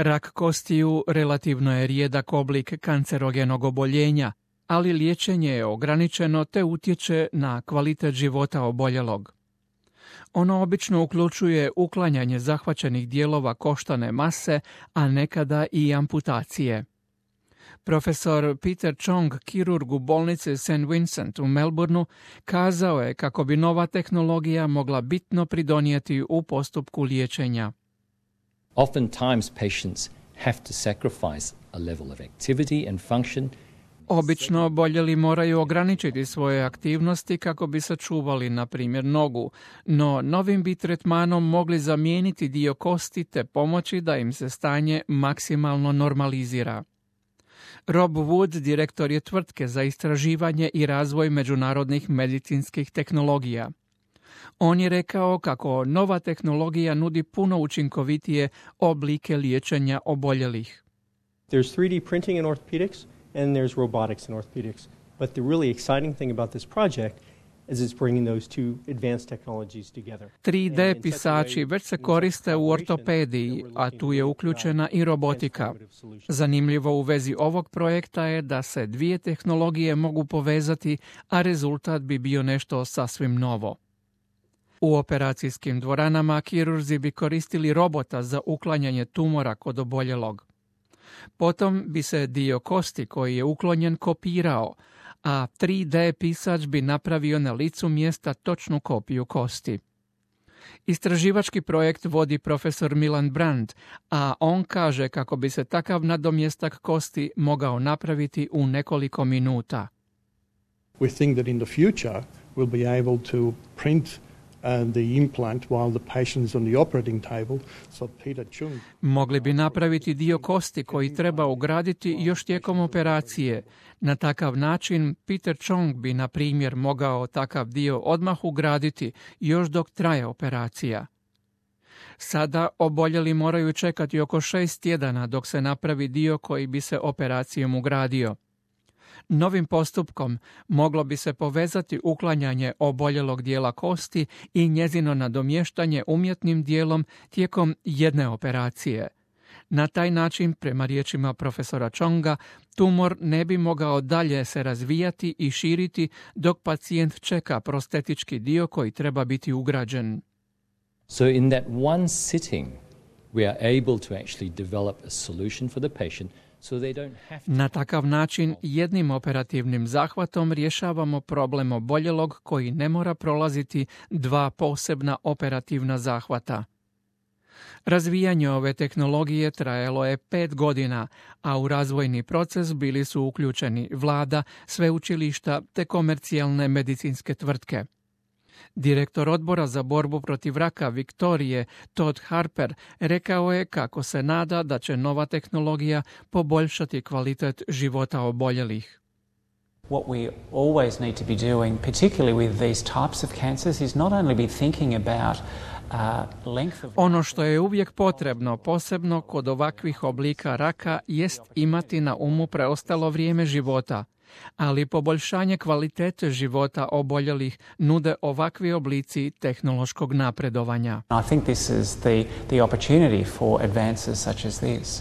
Rak kostiju relativno je rijedak oblik kancerogenog oboljenja, ali liječenje je ograničeno te utječe na kvalitet života oboljelog. Ono obično uključuje uklanjanje zahvaćenih dijelova koštane mase, a nekada i amputacije. Profesor Peter Chong, kirurg u bolnici St. Vincent u Melbourneu, kazao je kako bi nova tehnologija mogla bitno pridonijeti u postupku liječenja. Oftentimes patients have to sacrifice a level of activity and function. Obično oboljeli moraju ograničiti svoje aktivnosti kako bi sačuvali, na primjer, nogu, no novim bi tretmanom mogli zamijeniti dio kosti te pomoći da im se stanje maksimalno normalizira. Rob Wood, direktor je tvrtke za istraživanje i razvoj međunarodnih medicinskih tehnologija. On je rekao kako nova tehnologija nudi puno učinkovitije oblike liječenja oboljelih. There's 3D printing in orthopedics and there's robotics in orthopedics. But the really exciting thing about this project is it's bringing those two advanced technologies together. 3D pisači već se koriste u ortopediji, a tu je uključena i robotika. Zanimljivo u vezi ovog projekta je da se dvije tehnologije mogu povezati, a rezultat bi bio nešto sasvim novo. U operacijskim dvoranama kirurzi bi koristili robota za uklanjanje tumora kod oboljelog. Potom bi se dio kosti koji je uklonjen kopirao, a 3D pisač bi napravio na licu mjesta točnu kopiju kosti. Istraživački projekt vodi profesor Milan Brand, a on kaže kako bi se takav nadomjestak kosti mogao napraviti u nekoliko minuta. We think that in the future we'll be able to print the implant while the patient is on the operating table. So Peter Chung mogli bi napraviti dio kosti koji treba ugraditi još tijekom operacije. Na takav način Peter Chong bi, na primjer, mogao takav dio odmah ugraditi još dok traje operacija. Sada oboljeli moraju čekati oko 6 tjedana dok se napravi dio koji bi se operacijom ugradio. Novim postupkom moglo bi se povezati uklanjanje oboljelog dijela kosti i njezino nadomještanje umjetnim dijelom tijekom jedne operacije. Na taj način, prema riječima profesora Chonga, tumor ne bi mogao dalje se razvijati i širiti dok pacijent čeka prostetički dio koji treba biti ugrađen. So in that one sitting we are able to actually develop a solution for the patient. Na takav način jednim operativnim zahvatom rješavamo problem oboljelog koji ne mora prolaziti dva posebna operativna zahvata. Razvijanje ove tehnologije trajalo je 5 godina, a u razvojni proces bili su uključeni vlada, sveučilišta te komercijalne medicinske tvrtke. Direktor odbora za borbu protiv raka Viktorije, Todd Harper, rekao je kako se nada da će nova tehnologija poboljšati kvalitet života oboljelih. What we always need to be doing, particularly with these types of cancers, is not only be thinking about ono što je uvijek potrebno, posebno kod ovakvih oblika raka, jest imati na umu preostalo vrijeme života. Ali poboljšanje kvalitete života oboljelih nude ovakvi oblici tehnološkog napredovanja. I think this is the opportunity for advances such as this.